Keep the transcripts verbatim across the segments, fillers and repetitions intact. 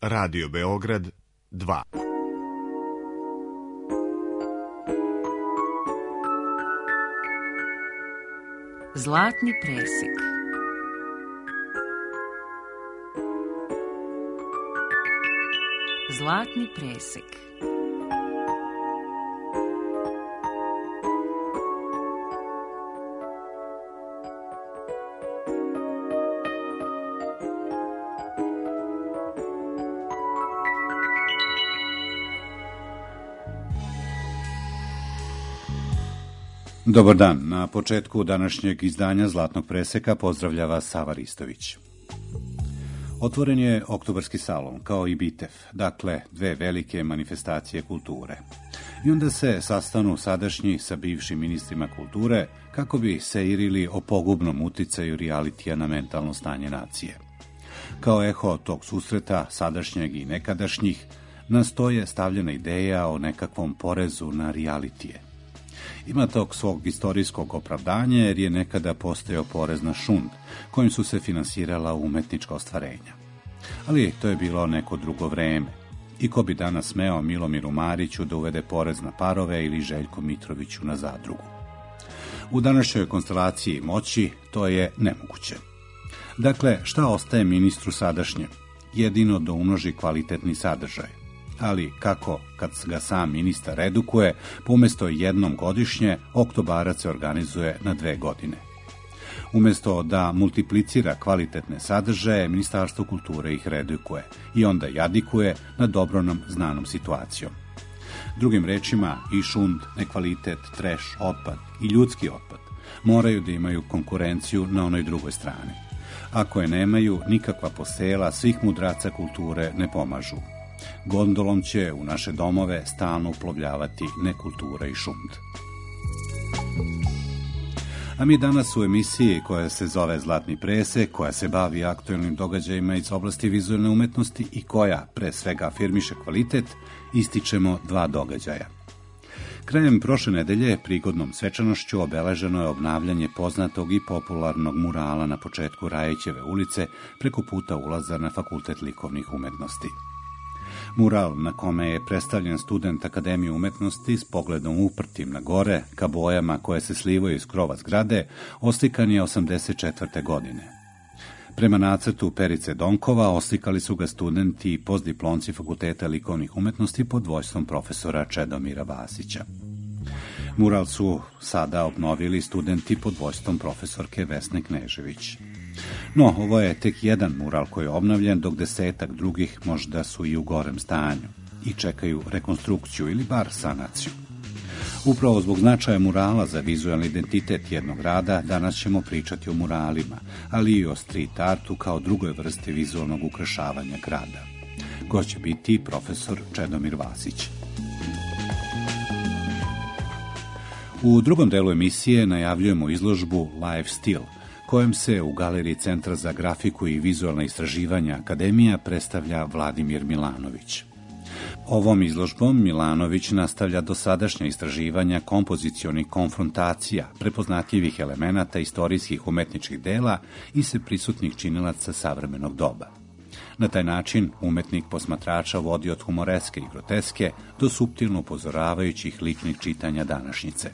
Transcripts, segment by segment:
Radio Beograd dva. Zlatni presek. Zlatni presek. Dobar dan. Na početku današnjeg izdanja Zlatnog preseka pozdravlja vas Sava Ristović. Otvoren je Oktobarski salon, kao i Bitev, dakle dve velike manifestacije kulture. I onda se sastanu sadašnji sa bivšim ministrima kulture kako bi seirili o pogubnom uticaju realitija na mentalno stanje nacije. Kao eho tog susreta, sadašnjeg i nekadašnjih, na sto je stavljena ideja o nekakvom porezu na realitije. Ima tog svog istorijskog opravdanja jer je nekada postojao porez na šund, kojim su se finansirala umetnička ostvarenja. Ali to je bilo neko drugo vreme. I ko bi danas smeo Milomiru Mariću da uvede porez na parove ili Željku Mitroviću na zadrugu? U današnjoj konstelaciji moći to je nemoguće. Dakle, šta ostaje ministru sadašnjem? Jedino da umnoži kvalitetni sadržaj. Ali kako, kad ga sam ministar redukuje, umjesto jednom godišnje, Oktobarac se organizuje na dve godine. Umjesto da multiplicira kvalitetne sadržaje, Ministarstvo kulture ih redukuje i onda jadikuje na dobro nam znanom situacijom. Drugim rečima, i šund, nekvalitet, treš, otpad i ljudski otpad moraju da imaju konkurenciju na onoj drugoj strani. Ako je nemaju, nikakva posela svih mudraca kulture ne pomažu. Gondolom će u naše domove stalno uplovljavati nekultura i šund. A mi danas u emisiji koja se zove Zlatni presek, koja se bavi aktuelnim događajima iz oblasti vizualne umetnosti i koja, pre svega, afirmiše kvalitet, ističemo dva događaja. Krajem prošle nedelje, prigodnom svečanošću, obeleženo je obnavljanje poznatog i popularnog murala na početku Rajićeve ulice preko puta ulaza na Fakultet likovnih umetnosti. Mural na kome je predstavljen student Akademije umetnosti s pogledom uprtim na gore, ka bojama koje se slivaju iz krova zgrade, oslikan je osamdeset četvrte godine. Prema nacrtu Perice Donkova oslikali su ga studenti i postdiplomci Fakulteta likovnih umetnosti pod vođstvom profesora Čedomira Vasića. Mural su sada obnovili studenti pod vođstvom profesorke Vesne Knežević. No, ovo je tek jedan mural koji je obnovljen, dok desetak drugih možda su i u gorem stanju i čekaju rekonstrukciju ili bar sanaciju. Upravo zbog značaja murala za vizualni identitet jednog grada, danas ćemo pričati o muralima, ali i o street artu kao drugoj vrsti vizualnog ukrašavanja grada. Gost će biti profesor Čedomir Vasić. U drugom delu emisije najavljujemo izložbu Life Still, kojem se u Galeriji Centra za grafiku i vizualna istraživanja Akademija predstavlja Vladimir Milanović. Ovom izložbom Milanović nastavlja dosadašnja istraživanja kompozicionih konfrontacija, prepoznatljivih elemenata istorijskih umetničkih dela i sveprisutnih činilaca savremenog doba. Na taj način umetnik posmatrača vodi od humoreske i groteske do suptilno upozoravajućih liknih čitanja današnjice.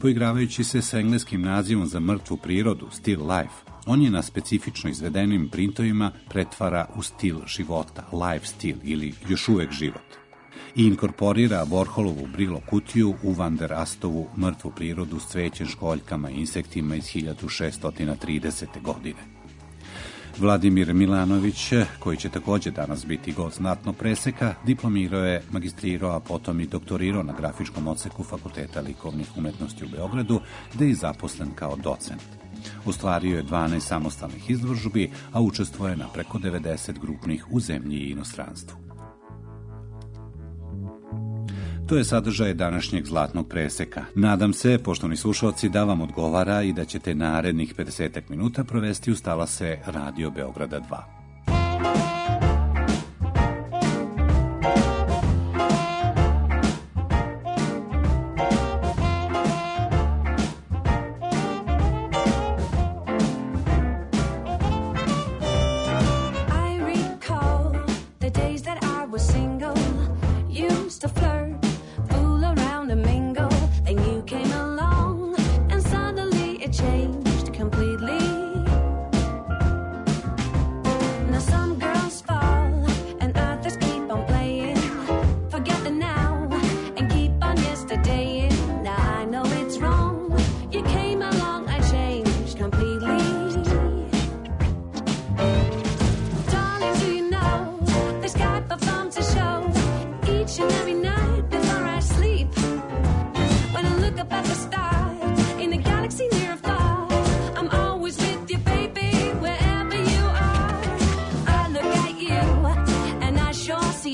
Poigravajući se sa engleskim nazivom za mrtvu prirodu, still life, on je na specifično izvedenim printovima pretvara u stil života, life still ili još uvek život, i inkorporira Warholovu Brillo kutiju u Van der Astovu mrtvu prirodu s cvećem, školjkama i insektima iz hiljadu šeststo tridesete. godine. Vladimir Milanović, koji će također danas biti gost Zlatnog preseka, diplomirao je, magistrirao, a potom i doktorirao na grafičkom odseku Fakulteta likovnih umetnosti u Beogradu, gde je zaposlen kao docent. Ostvario je dvanaest samostalnih izložbi, a učestvuje na preko devedeset grupnih u zemlji i inostranstvu. To je sadržaj današnjeg Zlatnog preseka. Nadam se, poštovani slušalci, da vam odgovara i da ćete narednih pedeset minuta provesti uz talase Radio Beograda dva.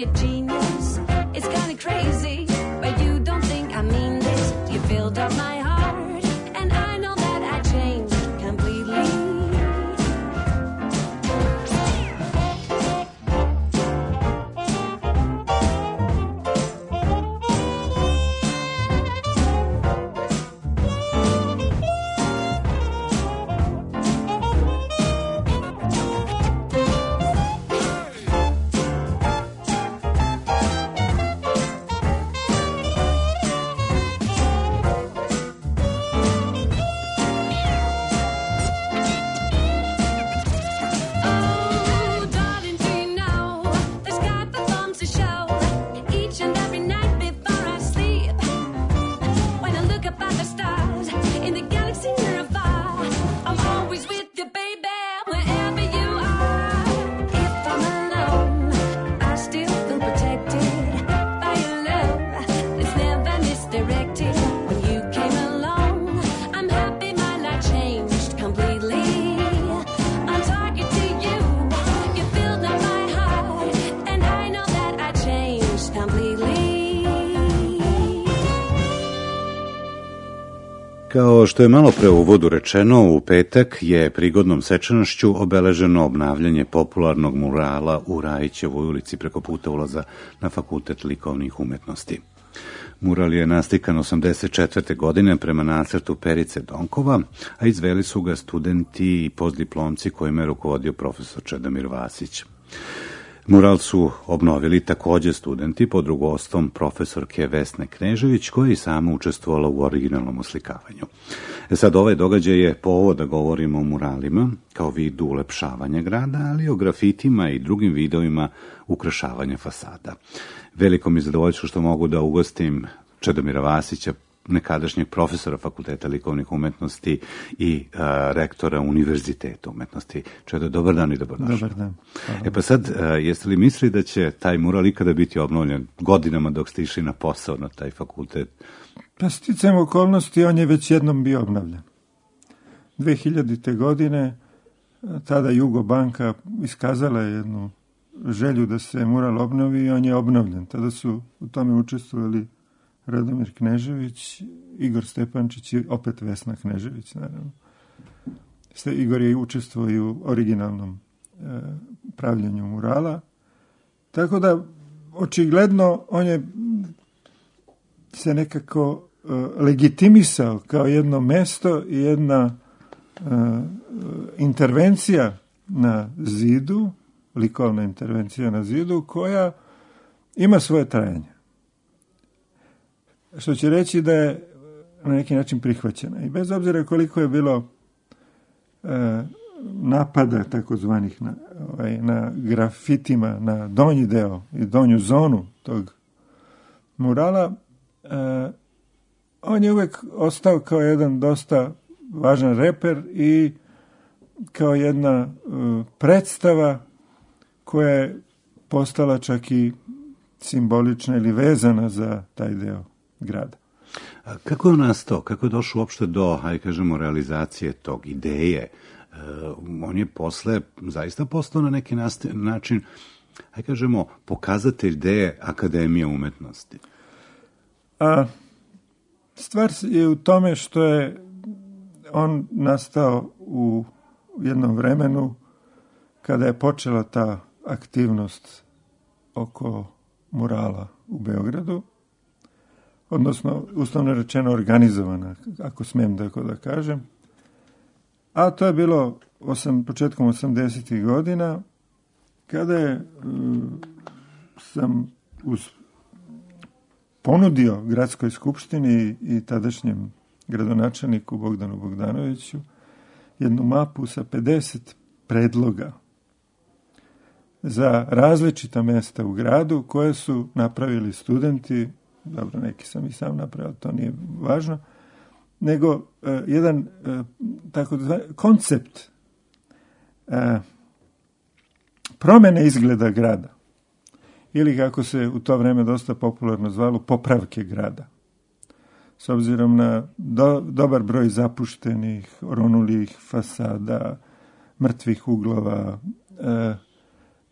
a genius. It's kind of crazy, but you don't think I mean this. You filled up my heart, and I know that I changed completely. Kao što je malo pre u uvodu rečeno, u petak je prigodnom svečanošću obeleženo obnavljanje popularnog murala u Rajićevoj ulici preko puta ulaza na Fakultet likovnih umetnosti. Mural je nastikan osamdeset četvrte godine prema nacrtu Perice Donkova, a izveli su ga studenti i postdiplomci kojima je rukovodio profesor Čedomir Vasić. Mural su obnovili takođe studenti pod rukovodstvom profesorke Vesne Knežević, koja je i sama učestvovala u originalnom oslikavanju. E sad, ovaj događaj je povod da govorimo o muralima kao vidu ulepšavanja grada, ali i o grafitima i drugim vidovima ukrašavanja fasada. Veliko mi je zadovoljstvo što mogu da ugostim Čedomira Vasića, nekadašnjeg profesora Fakulteta likovnih umetnosti i a, rektora Univerziteta umetnosti. Čedo, dobar dan i dobrodošli. Dobar dan. E pa sad, a, jeste li mislili da će taj mural ikada biti obnovljen godinama dok ste išli na posao na taj fakultet? Pa sticajem okolnosti, on je već jednom bio obnovljen. dve hiljadite. godine tada Jugobanka iskazala je jednu želju da se mural obnovi i on je obnovljen. Tada su u tome učestvovali Radomir Knežević, Igor Stepančić i opet Vesna Knežević, naravno. Igor je učestvovao i u originalnom e, pravljenju murala. Tako da, očigledno, on je se nekako e, legitimisao kao jedno mesto i jedna e, intervencija na zidu, likovna intervencija na zidu, koja ima svoje trajanje. Što će reći da je na neki način prihvaćena. I bez obzira koliko je bilo e, napada takozvanih na, ovaj, na grafitima, na donji deo i donju zonu tog murala, e, on je uvek ostao kao jedan dosta važan reper i kao jedna e, predstava koja je postala čak i simbolična ili vezana za taj deo grada. A kako je nastao? Kako je došao uopšte do, hajde kažemo, realizacije tog ideje? E, on je posle zaista postao na neki način, hajde kažemo, pokazatelj ideje Akademije umetnosti. A stvar je u tome što je on nastao u jednom vremenu kada je počela ta aktivnost oko murala u Beogradu, odnosno, uslovno rečeno, organizovana, ako smijem tako da kažem. A to je bilo osam, početkom osamdesetih godina, kada je um, sam uz ponudio gradskoj skupštini i tadašnjem gradonačelniku Bogdanu Bogdanoviću jednu mapu sa pedeset predloga za različita mesta u gradu koje su napravili studenti. Dobro, neki sam i sam napravio, to nije važno, nego uh, jedan uh, tako da zva, koncept uh, promene izgleda grada, ili kako se u to vreme dosta popularno zvalo, popravke grada. S obzirom na do, dobar broj zapuštenih, oronulih fasada, mrtvih uglova, uh,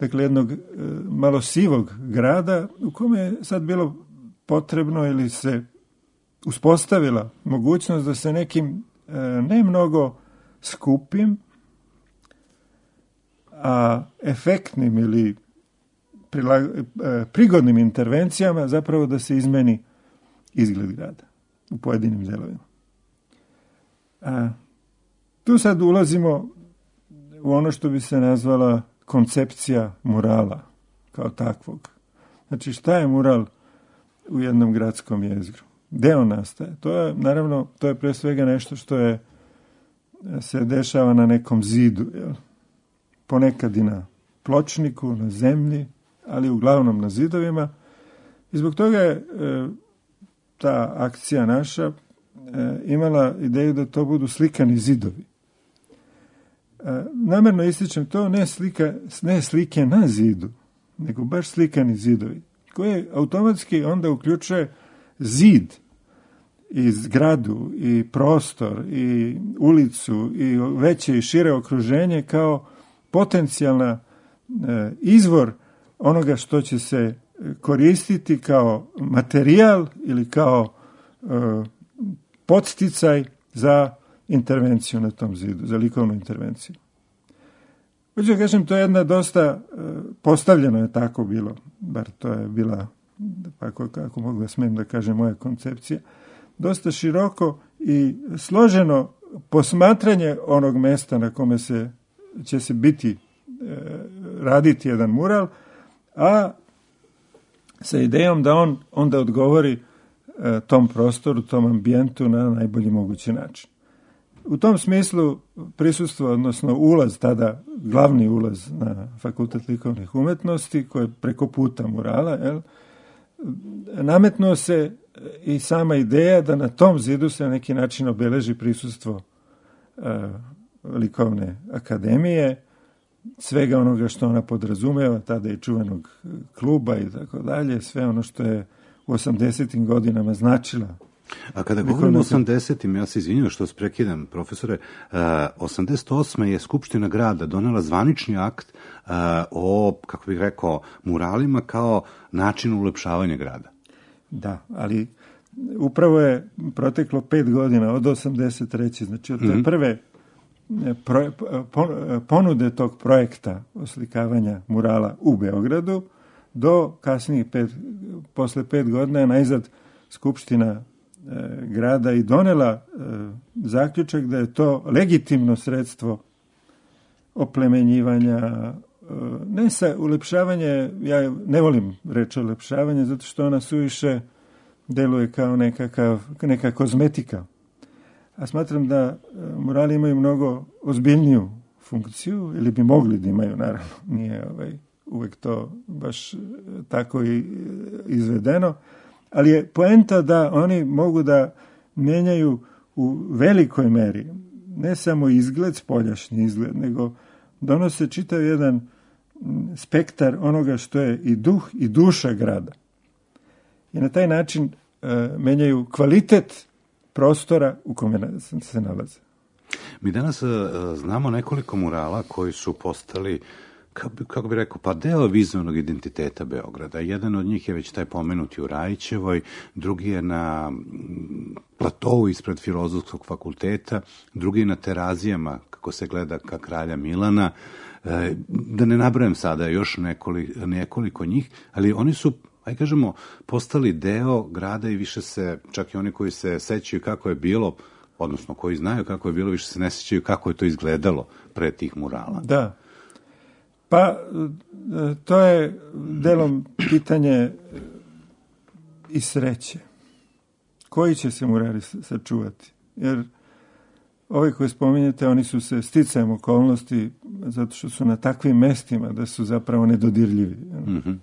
dakle jednog e, malo sivog grada u kome je sad bilo potrebno ili se uspostavila mogućnost da se nekim e, ne mnogo skupim, a efektnim ili prilag, e, prigodnim intervencijama zapravo da se izmeni izgled grada u pojedinim delovima. A, tu sad ulazimo u ono što bi se nazvala koncepcija murala kao takvog. Znači šta je mural u jednom gradskom jezgru? Gde on nastaje? To je, naravno, to je pre svega nešto što je se dešava na nekom zidu, jel? Ponekad i na pločniku, na zemlji, ali uglavnom na zidovima. I zbog toga je e, ta akcija naša e, imala ideju da to budu slikani zidovi. E, namerno ističem to, ne, slika, ne slike na zidu, nego baš slikani zidovi, koji automatski onda uključuje zid i zgradu i prostor i ulicu i veće i šire okruženje kao potencijalna e, izvor onoga što će se koristiti kao materijal ili kao e, podsticaj za intervenciju na tom zidu, za likovnu intervenciju. Hoću da kažem, to je jedna dosta e, postavljeno je tako bilo, bar to je bila, kako, kako mogu da smijem da kažem, moja koncepcija, dosta široko i složeno posmatranje onog mesta na kome se, će se biti, e, raditi jedan mural, a sa idejom da on onda odgovori e, tom prostoru, tom ambijentu na najbolji mogući način. U tom smislu prisustvo, odnosno ulaz, tada glavni ulaz na Fakultet likovnih umetnosti, koji je preko puta murala, jel, nametnuo se i sama ideja da na tom zidu se na neki način obeleži prisustvo e, likovne akademije, svega onoga što ona podrazumeva, tada i čuvenog kluba i tako dalje, sve ono što je u osamdesetim godinama značila. A kada govorimo o osamdesetim, ja se izvinjam što vas prekidam, profesore, uh, osamdeset osme je Skupština grada donela zvanični akt uh, o, kako bih rekao, muralima kao način ulepšavanja grada. Da, ali upravo je proteklo pet godina od osamdeset treće znači od te mm-hmm. prve pro, ponude tog projekta oslikavanja murala u Beogradu do kasnijih pet, posle pet godina je najzad Skupština e, grada i donela e, zaključak da je to legitimno sredstvo oplemenjivanja, e, ne sa ulepšavanje, ja ne volim reč ulepšavanje zato što ona suviše deluje kao nekakav, neka kozmetika. A smatram da e, murali imaju mnogo ozbiljniju funkciju, ili bi mogli da imaju, naravno, nije ovaj, uvek to baš tako i izvedeno, ali je poenta da oni mogu da menjaju u velikoj meri, ne samo izgled, spoljašnji izgled, nego donose čitav jedan spektar onoga što je i duh i duša grada. I na taj način e, menjaju kvalitet prostora u kome se nalaze. Mi danas uh, znamo nekoliko murala koji su postali, kako, kako bi rekao, pa deo vizualnog identiteta Beograda. Jedan od njih je već taj pomenuti u Rajićevoj, drugi je na platovu ispred Filozofskog fakulteta, drugi je na Terazijama, kako se gleda ka Kralja Milana. E, da ne nabrajam sada još nekoliko, nekoliko njih, ali oni su, aj kažemo, postali deo grada i više se, čak i oni koji se sećaju kako je bilo, odnosno koji znaju kako je bilo, više se ne sećaju kako je to izgledalo pre tih murala. Da. Pa, to je delom pitanje i sreće. Koji će se murali sačuvati? Jer ovi koji spominjete, oni su se sticajem okolnosti, zato što su na takvim mestima da su zapravo nedodirljivi. Mm-hmm.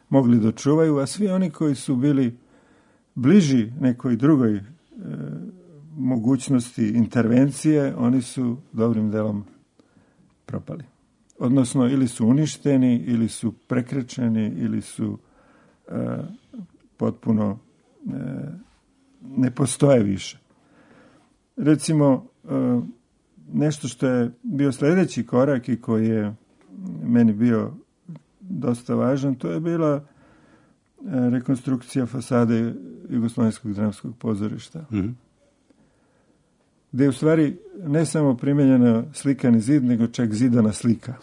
Mogli da čuvaju, a svi oni koji su bili bliži nekoj drugoj e, mogućnosti intervencije, oni su dobrim delom propali. Odnosno, ili su uništeni, ili su prekrečeni, ili su e, potpuno e, ne postoje više. Recimo, e, nešto što je bio sledeći korak i koji je meni bio dosta važan, to je bila e, rekonstrukcija fasade Jugoslovenskog dramskog pozorišta. Mm-hmm. Gde je u stvari ne samo primijenjena slikani zid, nego čak zidana slika.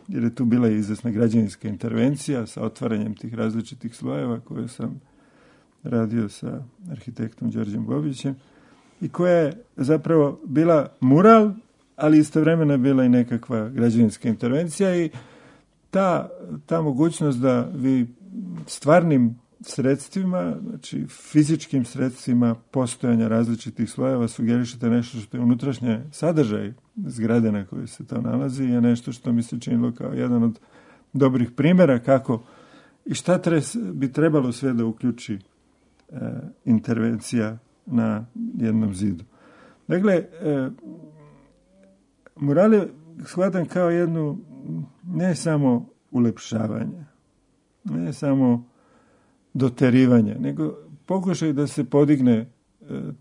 Jer je tu bila izvesna građevinska intervencija sa otvaranjem tih različitih slojeva koje sam radio sa arhitektom Đorđem Bobićem i koja je zapravo bila mural, ali istovremeno je bila i nekakva građevinska intervencija i ta, ta mogućnost da vi stvarnim sredstvima, znači fizičkim sredstvima postojanja različitih slojeva sugerišete nešto što je unutrašnje sadržaj zgrade na kojoj se to nalazi je nešto što mi se činilo kao jedan od dobrih primjera kako i šta tres, bi trebalo sve da uključi e, intervencija na jednom zidu. Dakle, e, mural je shvatam kao jednu ne samo ulepšavanje, ne samo doterivanje, nego pokušaj da se podigne e,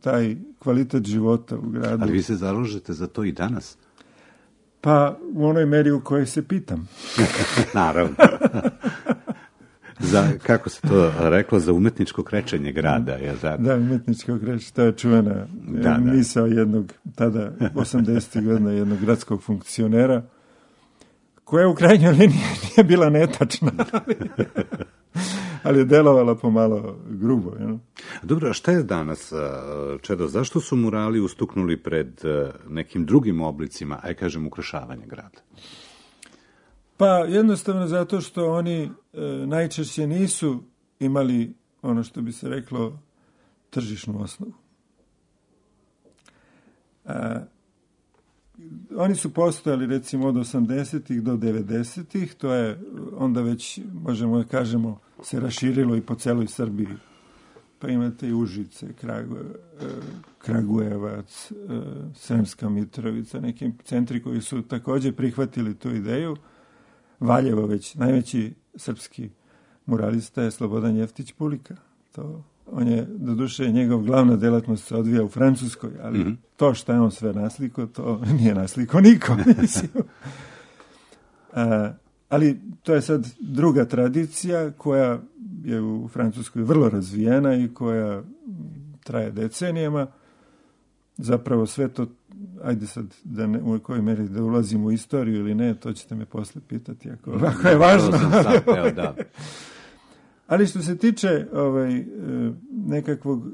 taj kvalitet života u gradu. Ali vi se zalažete za to i danas? Pa u onoj meri u kojoj se pitam. Naravno. Za, kako se to reklo, za umetničko krečenje grada. Je za... Da, umetničko krečenje, to je čuvena da, misao da. jednog, tada osamdesetih godina, jednog gradskog funkcionera, koja u krajnjoj liniji nije bila netačna, ali, ali je delovala pomalo grubo. You? Dobro, a šta je danas, Čedo, zašto su murali ustuknuli pred nekim drugim oblicima, aj kažem, ukrašavanja grada? Pa jednostavno zato što oni e, najčešće nisu imali ono što bi se reklo tržišnu osnovu. A, oni su postojali recimo od osamdesetih do devedesetih, to je onda već, možemo da kažemo, se raširilo i po celoj Srbiji. Pa imate i Užice, Kragu, Kragujevac, Sremska Mitrovica, neki centri koji su također prihvatili tu ideju. Valjevo već, najveći srpski muralista je Slobodan Jeftić Pulika. To, on je, doduše, njegov glavna delatnost se odvija u Francuskoj, ali mm-hmm. to što je on sve nasliko, to nije nasliko nikom, mislim. A, ali to je sad druga tradicija koja je u Francuskoj vrlo razvijena i koja traje decenijama. Zapravo sve to, ajde sad da ne, u kojoj meri da ulazim u istoriju ili ne, to ćete me posle pitati ako, ako je važno. Zapeo, da. Ali što se tiče ovaj, nekakvog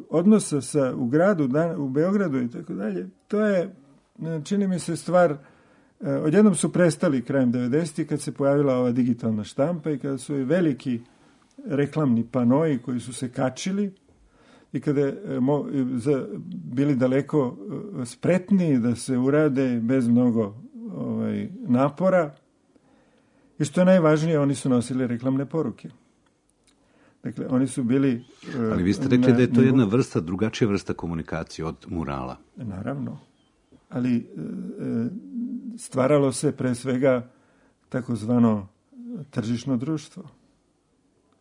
odnosa sa, u gradu, u Beogradu i tako dalje, to je, čini mi se, stvar, odjednom su prestali krajem devedesetih kad se pojavila ova digitalna štampa i kada su i veliki reklamni panoji koji su se kačili i kada je mo, za, bili daleko spretniji da se urade bez mnogo ovaj, napora. I što je najvažnije, oni su nosili reklamne poruke. Dakle, oni su bili... Ali vi ste rekli na, da je to jedna vrsta, drugačija vrsta komunikacije od murala. Naravno. Ali stvaralo se pre svega takozvano tržišno društvo.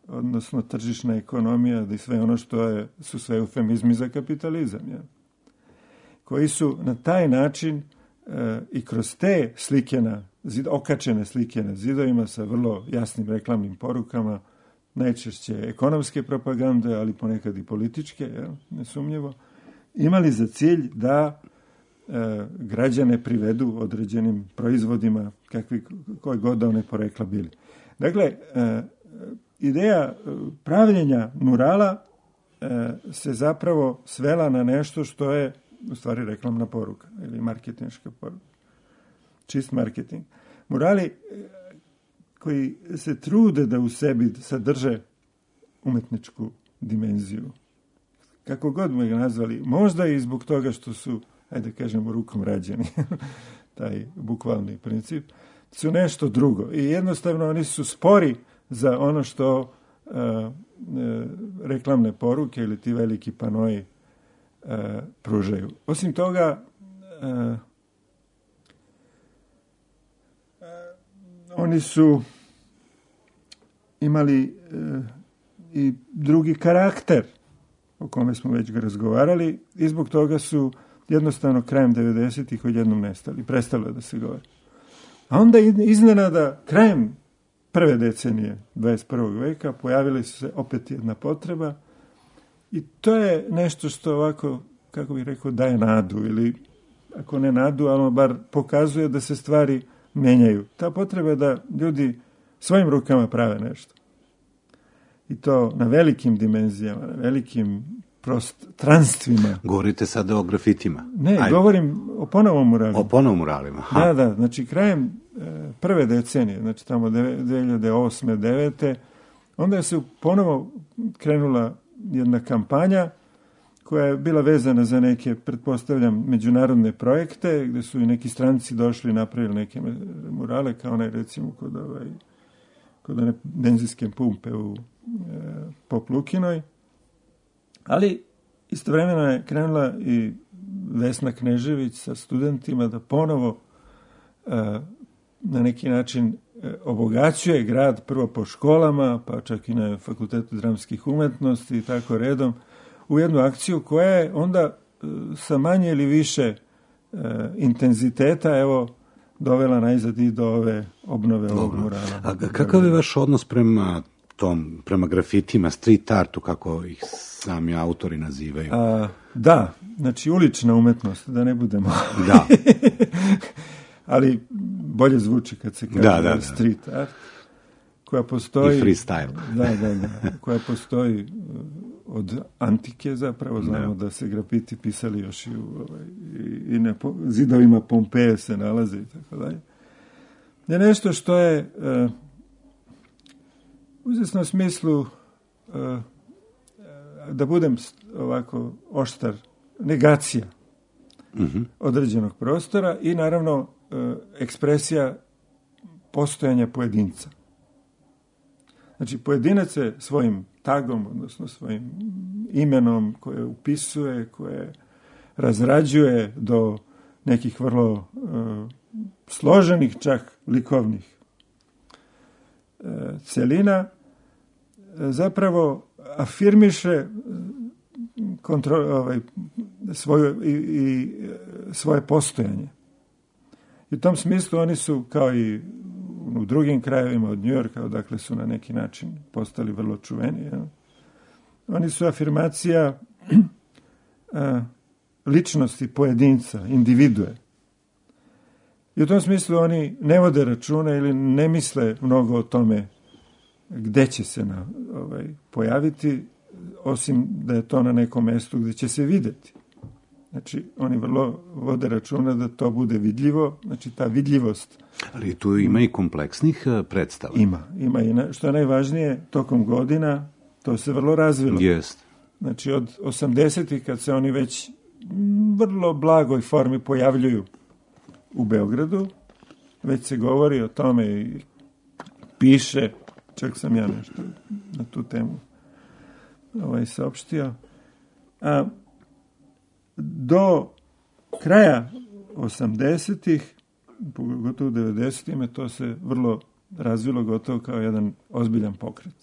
Odnosno tržišna ekonomija i sve ono što je, su sve eufemizmi za kapitalizam. Ja? Koji su na taj način e, i kroz te slike na zid, okačene slike na zidovima sa vrlo jasnim reklamnim porukama, najčešće ekonomske propagande, ali ponekad i političke, ja? Nesumnjivo, imali za cilj da e, građane privedu određenim proizvodima kakvi, koje god da one porekla bili. Dakle, e, ideja pravljenja murala e, se zapravo svela na nešto što je u stvari reklamna poruka ili marketinška poruka. Čist marketing. Murali koji se trude da u sebi sadrže umetničku dimenziju. Kako god mu ga nazvali, možda i zbog toga što su, ajde kažemo, rukom rađeni, taj bukvalni princip, su nešto drugo. I jednostavno oni su spori za ono što uh, uh, reklamne poruke ili ti veliki panoji uh, pružaju. Osim toga, uh, uh, oni su imali uh, i drugi karakter, o kome smo već ga razgovarali, i zbog toga su jednostavno krajem devedesetih odjednom nestali, prestalo da se govori. A onda iznenada krajem prve decenije dvadeset prvog veka pojavila se opet jedna potreba i to je nešto što ovako, kako bih rekao, daje nadu ili ako ne nadu, ali bar pokazuje da se stvari menjaju. Ta potreba je da ljudi svojim rukama prave nešto. I to na velikim dimenzijama, na velikim prostranstvima. Govorite sada o grafitima? Ne, Ajde. Govorim o ponovom muralima. O ponovom muralima. Ha. Da, da, znači krajem e, prve decenije, znači tamo dve hiljade osme devete onda je se ponovo krenula jedna kampanja koja je bila vezana za neke, pretpostavljam, međunarodne projekte, gde su i neki stranci došli i napravili neke murale, kao onaj, recimo, kod, ovaj, kod one benzinske pumpe u e, Pop Lukinoj. Ali istovremeno je krenula i Vesna Knežević sa studentima da ponovo e, na neki način e, obogaćuje grad, prvo po školama, pa čak i na Fakultetu dramskih umetnosti i tako redom, u jednu akciju koja je onda e, sa manje ili više e, intenziteta, evo, dovela najzad i do ove obnove Dobro. ovog murala. A kakav je vaš odnos prema tom, prema grafitima, street artu, kako ih sami autori nazivaju? A, da, znači ulična umetnost, da ne budemo... Da. Ali bolje zvuči kad se kaže Da, da, da. street art, koja postoji... I freestyle. Da, da, da. Koja postoji od antike zapravo, znamo da, da se grafiti pisali još i, u, ovaj, i, i na po, zidovima Pompeje se nalaze i tako dalje. Je nešto što je uh, u izvesnom smislu uh, da budem ovako oštar, negacija mm-hmm. određenog prostora i naravno uh, ekspresija postojanja pojedinca. Znači, pojedinac je svojim tagom, odnosno svojim imenom koje upisuje, koje razrađuje do nekih vrlo uh, složenih čak likovnih uh, celina, uh, zapravo afirmiše kontro, ovaj, svoju, i, i svoje postojanje. I u tom smislu oni su, kao i u drugim krajevima od Njujorka, odakle su na neki način postali vrlo čuveni. Ja. Oni su afirmacija a, ličnosti pojedinca, individue. I u tom smislu oni ne vode računa ili ne misle mnogo o tome gde će se na, ovaj, pojaviti, osim da je to na nekom mestu gde će se videti. Znači, oni vrlo vode računa da to bude vidljivo, znači ta vidljivost. Ali tu ima i kompleksnih predstava. Ima, ima i na, što je najvažnije, tokom godina to se vrlo razvilo. Jest. Znači, od osamdesetih kad se oni već vrlo blagoj formi pojavljuju u Beogradu, već se govori o tome i piše, čak sam ja nešto na tu temu ovaj, saopštio. A do kraja osamdesetih, pogotovo u devedesetih, to se vrlo razvilo gotovo kao jedan ozbiljan pokret.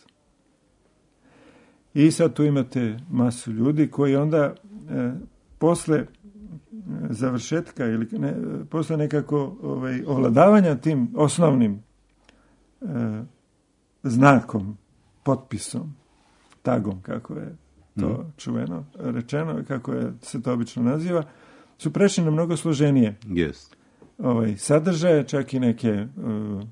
I sad tu imate masu ljudi koji onda e, posle završetka ili ne, posle nekako ovaj, ovladavanja tim osnovnim e, znakom, potpisom, tagom, kako je to mm. čuveno rečeno, kako je, se to obično naziva, su prešli na mnogo složenije yes. ovaj, sadržaje, čak i neke uh,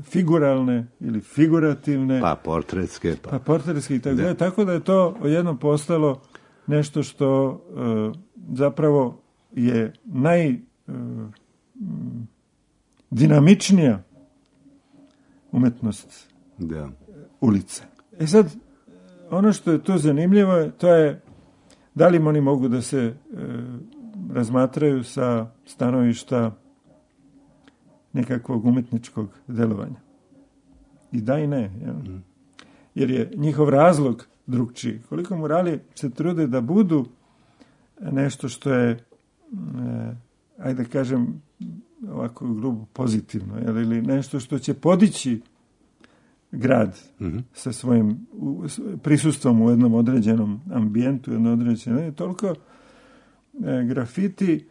figuralne ili figurativne. Pa portretske. Pa, pa portretske i tako da. Tako da je to jednom postalo nešto što uh, zapravo je naj uh, dinamičnija umetnost da. ulice. E sad, ono što je tu zanimljivo, to je da li oni mogu da se e, razmatraju sa stanovišta nekakvog umetničkog delovanja. I da i ne. Ja? Mm. Jer je njihov razlog drugčiji. Koliko murali se trude da budu nešto što je, e, ajde da kažem, ovako grubo pozitivno, jel? Ili nešto što će podići grad mm-hmm. sa svojim u, prisustvom u jednom određenom ambijentu, jednom određenom, ne, toliko e, grafiti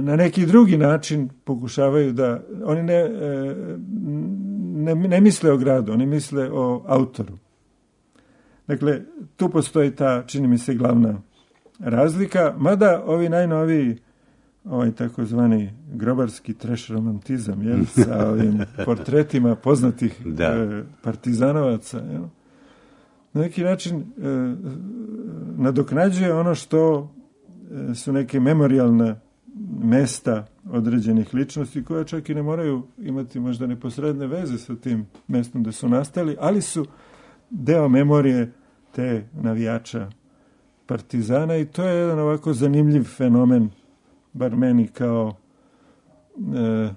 na neki drugi način pokušavaju da, oni ne, e, ne, ne misle o gradu, oni misle o autoru. Dakle, tu postoji ta, čini mi se, glavna razlika, mada ovi najnoviji, ovaj takozvani grobarski trash romantizam, jel, sa ovim portretima poznatih e, partizanovaca, jel, na neki način e, nadoknađuje ono što e, su neke memorijalne mesta određenih ličnosti koja čak i ne moraju imati možda neposredne veze sa tim mestom gde su nastali, ali su deo memorije te navijača partizana i to je jedan ovako zanimljiv fenomen, bar meni kao e,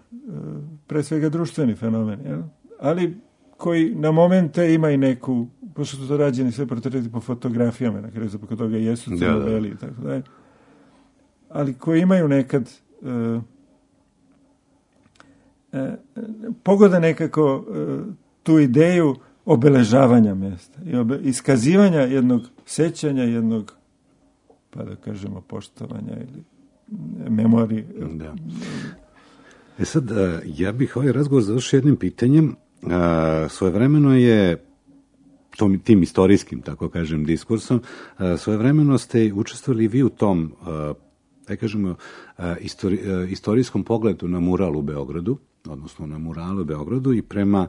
pre svega društveni fenomen, jel? Ali koji na momente ima i neku, pošto su to rađeni sve portreti po fotografijama, na kraju zbog toga jesu crno-beli i tako dalje, ali koji imaju nekad e, e, pogoda nekako e, tu ideju obeležavanja mjesta i obe, iskazivanja jednog sećanja, jednog, pa da kažemo, poštovanja ili memorije. Da. E sad, ja bih ovaj razgovor završio jednim pitanjem. Svojevremeno je tom, tim istorijskim, tako kažem, diskursom, svojevremeno ste učestvovali vi u tom, da kažemo, istori, istorijskom pogledu na mural u Beogradu, odnosno na muralu u Beogradu, i prema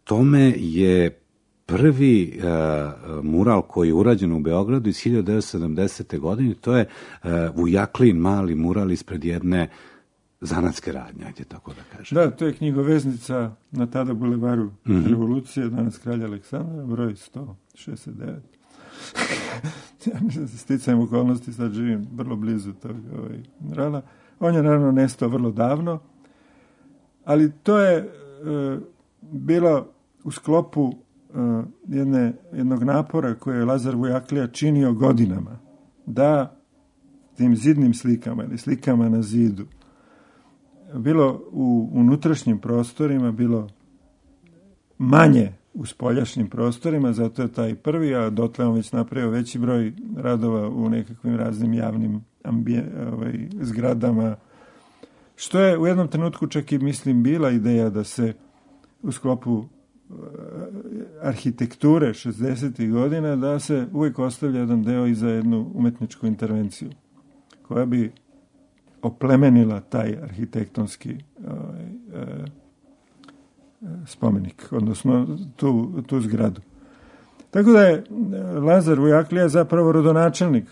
tome je prvi uh, mural koji je urađen u Beogradu iz hiljadu devetsto sedamdesete. godine, to je uh, Vujaklin mali mural ispred jedne zanatske radnje, ajde tako da kažem. Da, to je knjigoveznica na tada bulevaru mm-hmm. Revolucije, danas Kralja Aleksandra, broj sto šezdeset devet. Ja sticajem okolnosti, sad živim vrlo blizu tog ovaj, murala. On je naravno nestao vrlo davno, ali to je uh, bilo u sklopu uh, jedne, jednog napora koje je Lazar Vujaklija činio godinama, da tim zidnim slikama ili slikama na zidu, bilo u unutrašnjim prostorima, bilo manje u spoljašnjim prostorima, zato je taj prvi, a dotle on već napravio veći broj radova u nekakvim raznim javnim ambije, ovaj, zgradama, što je u jednom trenutku čak i, mislim, bila ideja da se u sklopu arhitekture šezdesetih godina da se uvijek ostavlja jedan deo i za jednu umetničku intervenciju koja bi oplemenila taj arhitektonski ovaj, eh, spomenik, odnosno tu, tu zgradu. Tako da je Lazar Vujaklija zapravo rodonačelnik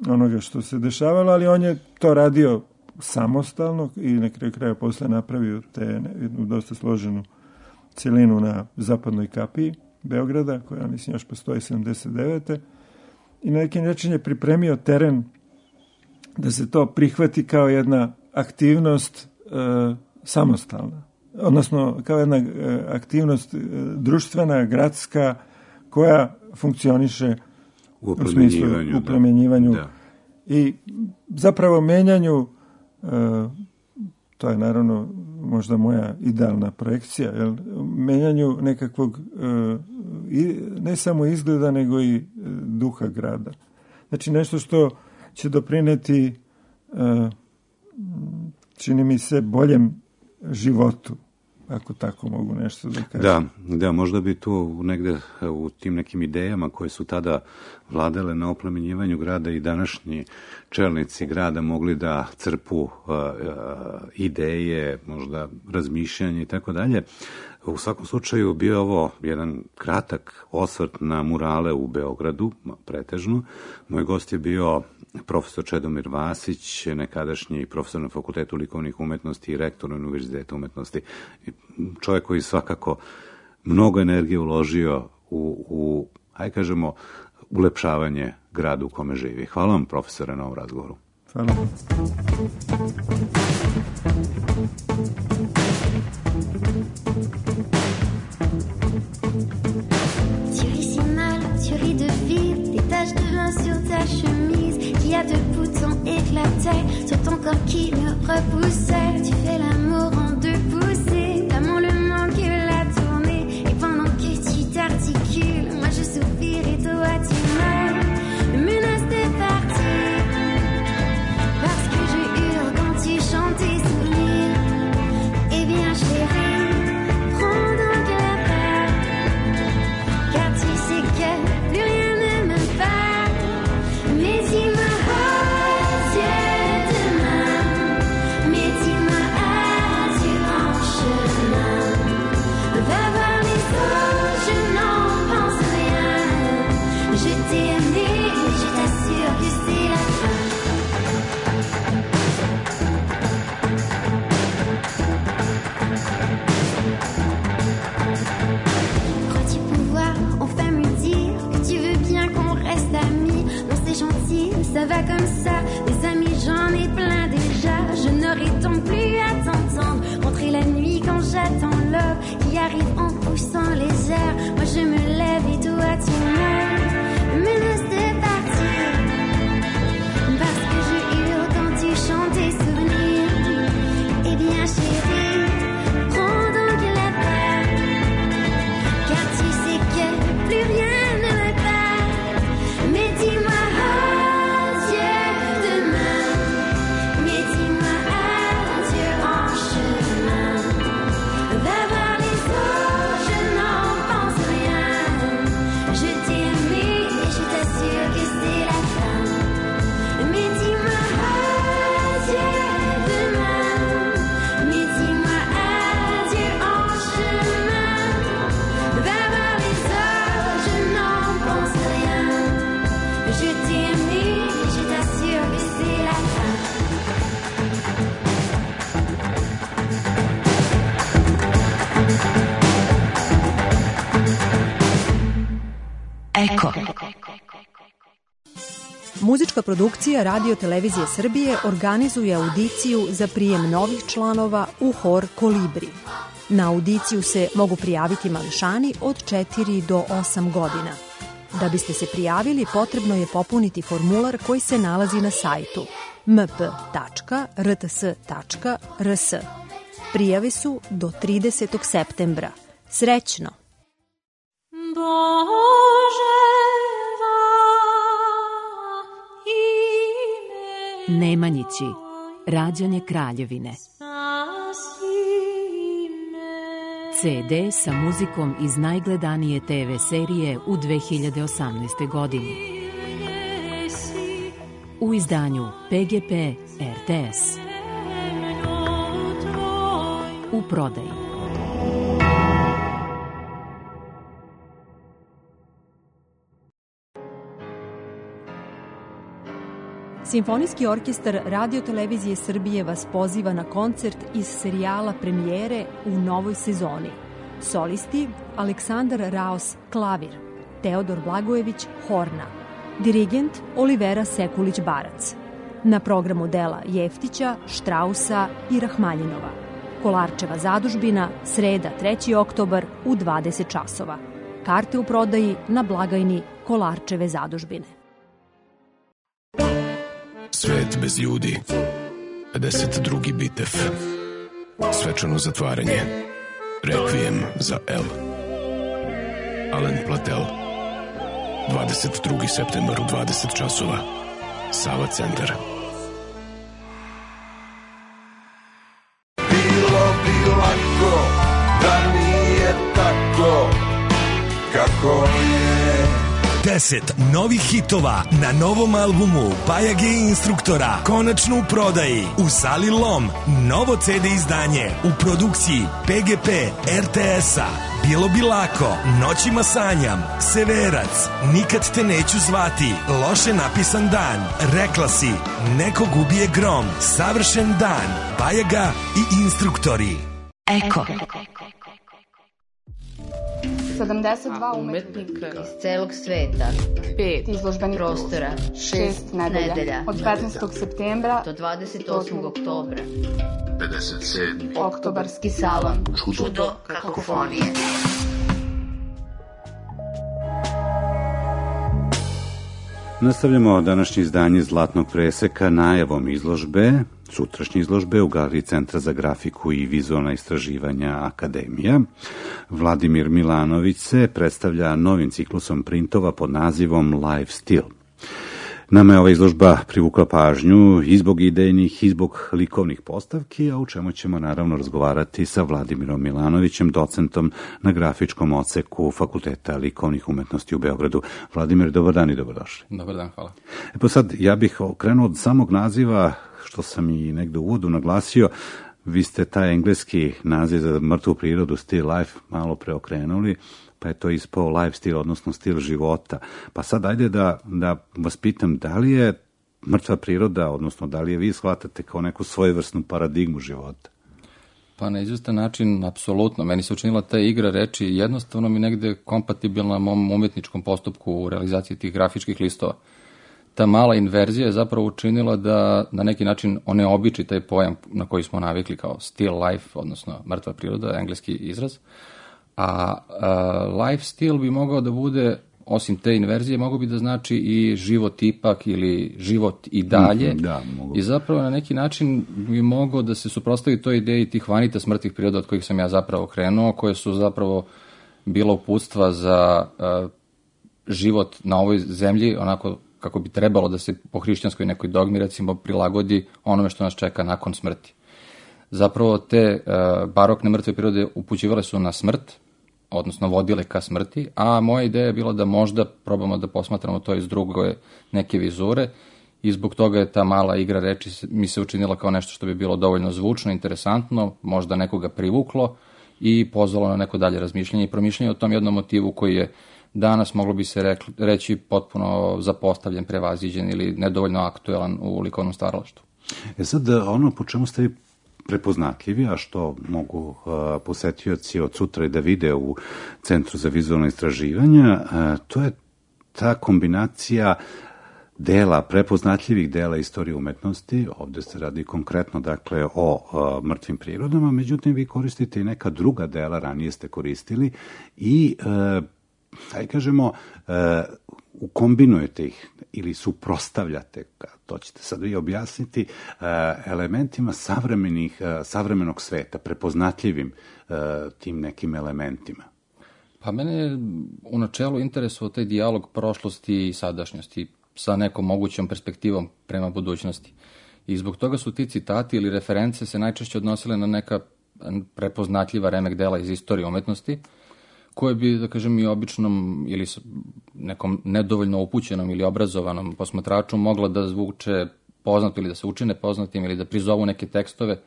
onoga što se dešavalo, ali on je to radio samostalno i na kraju kraja posle napravio te jednu dosta složenu celinu na zapadnoj kapiji Beograda, koja, mislim, još postoji sedamdeset devete. I na neki način je pripremio teren da se to prihvati kao jedna aktivnost e, samostalna. Odnosno, kao jedna e, aktivnost e, društvena, gradska, koja funkcioniše u, u smislu uplemenjivanju da. I zapravo menjanju, e, to je naravno možda moja idealna projekcija, jel, menjanju nekakvog e, i, ne samo izgleda, nego i e, duha grada. Znači nešto što će doprineti, e, čini mi se, boljem životu, ako tako mogu nešto da kažem. Da, da, možda bi tu negde u tim nekim idejama koje su tada vladale na oplemenjivanju grada i današnji čelnici grada mogli da crpu uh, uh, ideje, možda razmišljanje i tako dalje. U svakom slučaju bio ovo jedan kratak osvrt na murale u Beogradu, pretežno. Moj gost je bio profesor Čedomir Vasić, nekadašnji profesor na Fakultetu likovnih umetnosti i rektor Univerziteta umetnosti. Čovjek koji svakako mnogo energije uložio u, u aj kažemo, ulepšavanje grada u kome živi. Hvala vam, profesore, na ovom razgovoru. Hvala vam. Tu ris si mal, tu ris de vide, des taches de vin sur ta chemise, qu'il y a deux boutons éclatés sur ton corps qui me repoussait. Tu fais l'amour en deux poussées, l'amour le manque la tournée, et pendant que tu t'articules, moi je soupire et toi tu meurs. Me menace de partir, parce que je hurle quand tu chantes. Eko. Muzička produkcija Radio Televizije Srbije organizuje audiciju za prijem novih članova u hor Kolibri. Na audiciju se mogu prijaviti mališani od četiri do osam godina. Da biste se prijavili, potrebno je popuniti formular koji se nalazi na sajtu m p tačka r t s tačka r s. Prijave su do tridesetog septembra. Srećno! Nemanjići, rađanje Kraljevine. ce de sa muzikom iz najgledanije te ve serije u dve hiljade osamnaestoj. godini. U izdanju pe ge pe er te es. U prodaji. Simfonijski orkestar Radio Televizije Srbije vas poziva na koncert iz serijala premijere u novoj sezoni. Solisti Aleksandar Raos klavir, Teodor Blagojević horna, dirigent Olivera Sekulić-Barac. Na programu dela Jeftića, Štrausa i Rahmaljinova. Kolarčeva zadužbina, sreda treći oktobar u dvadeset časova. Karte u prodaji na blagajni Kolarčeve zadužbine. Svet bez ljudi. pedeset drugi bitev. Svečano zatvaranje. Rekvijem za El. Alen Platel. dvadeset drugi septembar u dvadeset časova. Sava centar. Bilo bi lako da nije tako kako je. deset novih hitova na novom albumu Bajage i Instruktora konačno u prodaji u Sali Lom. Novo ce de izdanje u produkciji pe ge pe er te es-a. Bilo bi lako, Noćima sanjam, Severac, Nikad te neću zvati, Loše napisan dan, Rekla si, Nekog ubije grom, Savršen dan, Bajaga i Instruktori. Eko. sedamdeset dva umetnika iz celog sveta, pet izložbenih prostora, šest nedelja, nedelja od petnaestog septembra do dvadeset osmog oktobra. pedeset sedmi Oktobarski salon, čudo kakofonije. Nastavljamo današnje izdanje Zlatnog preseka najavom izložbe, sutrašnje izložbe u Galeriji Centra za grafiku i vizualna istraživanja Akademija. Vladimir Milanović se predstavlja novim ciklusom printova pod nazivom Live Still. Nama je ova izložba privukla pažnju i zbog idejnih i zbog likovnih postavki, a u čemu ćemo naravno razgovarati sa Vladimirom Milanovićem, docentom na grafičkom odseku Fakulteta likovnih umetnosti u Beogradu. Vladimir, dobar dan i dobrodošli. Dobar dan, hvala. E pa sad, ja bih krenuo od samog naziva, što sam i negde u uvodu naglasio. Vi ste taj engleski naziv za mrtvu prirodu, still life, malo preokrenuli, pa je to ispao lifestyle, odnosno stil života. Pa sad ajde da, da vas pitam, da li je mrtva priroda, odnosno da li je vi shvatate kao neku svojevrsnu paradigmu života? Pa na izvestan način, apsolutno. Meni se učinila ta igra reči jednostavno mi negde kompatibilna mom umetničkom postupku u realizaciji tih grafičkih listova. Ta mala inverzija je zapravo učinila da na neki način oneobiči taj pojam na koji smo navikli kao still life, odnosno mrtva priroda, engleski izraz. A, a life still bi mogao da bude, osim te inverzije, mogao bi da znači i život ipak ili život i dalje. Da, mogu. I zapravo na neki način bi mogao da se suprotstavi toj ideji tih vanitas mrtvih priroda od kojih sam ja zapravo krenuo, koje su zapravo bila uputstva za a, život na ovoj zemlji, onako kako bi trebalo da se po hrišćanskoj nekoj dogmi, recimo, prilagodi onome što nas čeka nakon smrti. Zapravo te uh, barokne mrtve prirode upućivale su na smrt, odnosno vodile ka smrti, a moja ideja je bila da možda probamo da posmatramo to iz druge neke vizure i zbog toga je ta mala igra reči mi se učinila kao nešto što bi bilo dovoljno zvučno, interesantno, možda nekoga privuklo i pozvalo na neko dalje razmišljanje i promišljanje o tom jednom motivu koji je danas moglo bi se rekli, reći potpuno zapostavljen, prevaziđen ili nedovoljno aktuelan u likovnom stvaralaštvu. E sad, ono po čemu ste vi prepoznatljivi, a što mogu uh, posetioci od sutra i da vide u Centru za vizualno istraživanja, uh, to je ta kombinacija dela, prepoznatljivih dela istorije umetnosti, ovde se radi konkretno dakle o uh, mrtvim prirodama, međutim vi koristite i neka druga dela, ranije ste koristili i uh, aj kažemo uh, ukombinujete ih ili suprostavljate, to ćete sad vi objasniti, uh, elementima savremenih, uh, savremenog sveta, prepoznatljivim uh, tim nekim elementima. Pa mene je u načelu interesovao taj dijalog prošlosti i sadašnjosti sa nekom mogućom perspektivom prema budućnosti. I zbog toga su ti citati ili reference se najčešće odnosile na neka prepoznatljiva remek dela iz istorije umetnosti, koje bi, da kažem, i običnom ili nekom nedovoljno upućenom ili obrazovanom posmatraču mogla da zvuče poznato ili da se učine poznatim ili da prizovu neke tekstove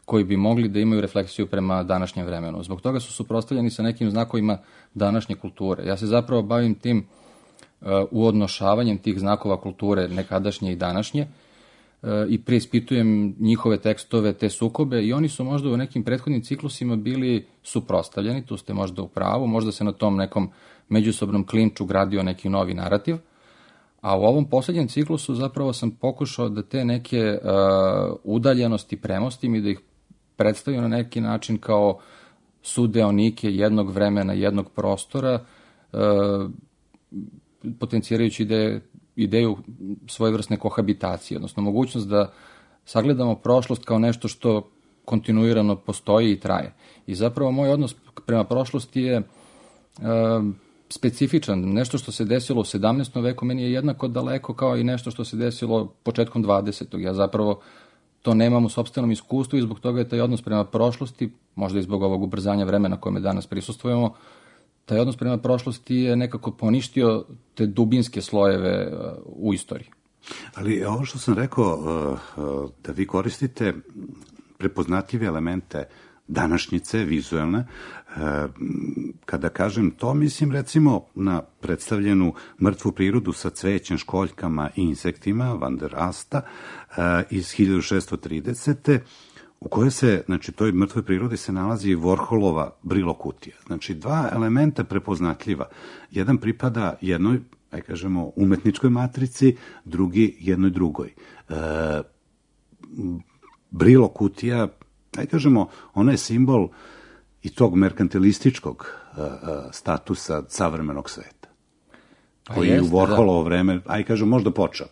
koji bi mogli da imaju refleksiju prema današnjem vremenu. Zbog toga su suprotstavljeni sa nekim znakovima današnje kulture. Ja se zapravo bavim tim uh, uodnošavanjem tih znakova kulture nekadašnje i današnje uh, i preispitujem njihove tekstove, te sukobe i oni su možda u nekim prethodnim ciklusima bili suprotstavljeni, tu ste možda u pravu, možda se na tom nekom međusobnom klinču gradio neki novi narativ, a u ovom poslednjem ciklusu zapravo sam pokušao da te neke uh, udaljenosti premostim i da ih predstavio na neki način kao sudeonike jednog vremena, jednog prostora, e, potencijirajući ide, ideju svojevrsne kohabitacije, odnosno mogućnost da sagledamo prošlost kao nešto što kontinuirano postoji i traje. I zapravo moj odnos prema prošlosti je e, specifičan. Nešto što se desilo u sedamnaestom veku meni je jednako daleko kao i nešto što se desilo početkom dvadesetog. Ja zapravo to nemam u sopstvenom iskustvu i zbog toga je taj odnos prema prošlosti, možda i zbog ovog ubrzanja vremena kojeme danas prisustvujemo, taj odnos prema prošlosti je nekako poništio te dubinske slojeve u istoriji. Ali ovo što sam rekao, da vi koristite prepoznatljive elemente današnjice, vizuelne, kada kažem to, mislim recimo na predstavljenu mrtvu prirodu sa cvećem, školjkama i insektima, Van der Asta, iz hiljadu šeststo tridesete. u kojoj se, znači, toj mrtvoj prirodi se nalazi Warholova Brillo kutija. Znači, dva elementa prepoznatljiva. Jedan pripada jednoj, aj kažemo, umetničkoj matrici, drugi jednoj drugoj. E, Brillo kutija, aj kažemo, ona je simbol i tog merkantilističkog e, statusa savremenog sveta. Koji je u Warholovo vreme, aj kažem, možda počeo.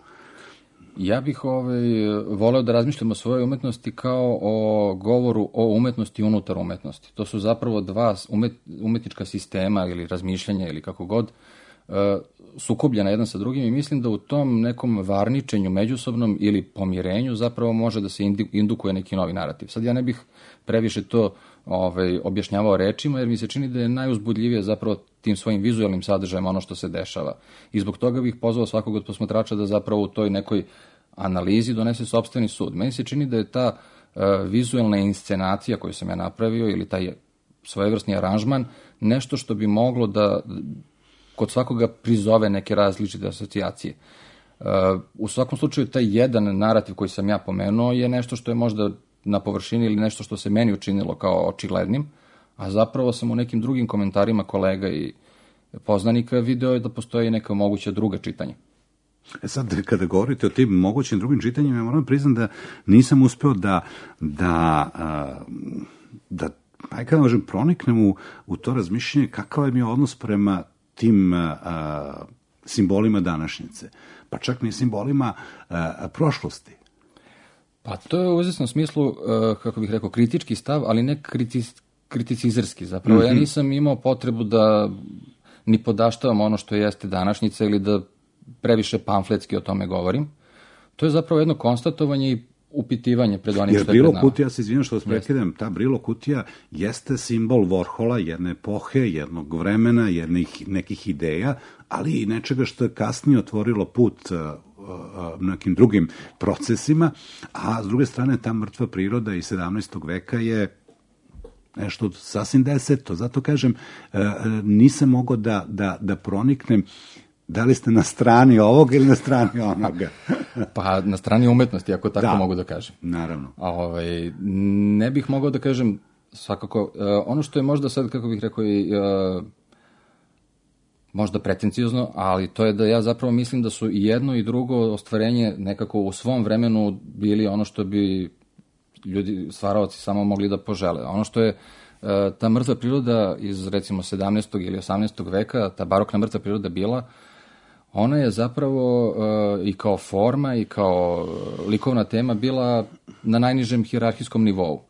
Ja bih ovaj, voleo da razmišljam o svojoj umetnosti kao o govoru o umetnosti unutar umetnosti. To su zapravo dva umet, umetnička sistema ili razmišljanja ili kako god uh, sukobljena jedan sa drugim i mislim da u tom nekom varničenju međusobnom ili pomirenju zapravo može da se indukuje neki novi narativ. Sad ja ne bih previše to ovaj, objašnjavao rečima jer mi se čini da je najuzbudljivije zapravo tim svojim vizualnim sadržajem ono što se dešava. I zbog toga bih pozvao svakog od posmatrača da zapravo u toj nekoj analizi donese sopstveni sud. Meni se čini da je ta uh, vizualna inscenacija koju sam ja napravio ili taj svojevrsni aranžman nešto što bi moglo da kod svakoga prizove neke različite asocijacije. Uh, u svakom slučaju taj jedan narativ koji sam ja pomenuo je nešto što je možda na površini ili nešto što se meni učinilo kao očiglednim, a zapravo sam u nekim drugim komentarima kolega i poznanika video da postoji neka moguća druga čitanja. E sad, kada govorite o tim mogućim drugim čitanjima, ja moram priznam da nisam uspeo da, da, da aj kada možem, proniknem u, u to razmišljanje kakav je mi odnos prema tim a, simbolima današnjice, pa čak ni simbolima a, prošlosti. Pa to je u izvesnom smislu, kako bih rekao, kritički stav, ali ne kritis, kriticizerski. Zapravo mm-hmm. ja nisam imao potrebu da ni podaštavam ono što jeste današnjica ili da previše pamfletski o tome govorim. To je zapravo jedno konstatovanje i upitivanje pred onim jer što je pred nama. Brillo kutija, se izvinjam što vas prekidam, ta Brillo kutija jeste simbol Warhola, jedne epohe, jednog vremena, jednih nekih ideja, ali i nečega što je kasnije otvorilo put uh, uh, nekim drugim procesima, a s druge strane ta mrtva priroda iz sedamnaestog veka je nešto sasvim deseto. Zato kažem, uh, nisam mogao da, da, da proniknem da li ste na strani ovoga ili na strani onoga? Pa na strani umetnosti, ako tako da, mogu da kažem. Naravno. A, ovaj, ne bih mogao da kažem svakako, uh, ono što je možda sad, kako bih rekao, i, uh, možda pretenciozno, ali to je da ja zapravo mislim da su i jedno i drugo ostvarenje nekako u svom vremenu bili ono što bi ljudi, stvaraoci, samo mogli da požele. Ono što je uh, ta mrtva priroda iz recimo sedamnaestog ili osamnaestog veka, ta barokna mrtva priroda bila, ona je zapravo uh, i kao forma i kao likovna tema bila na najnižem hijerarhijskom nivou.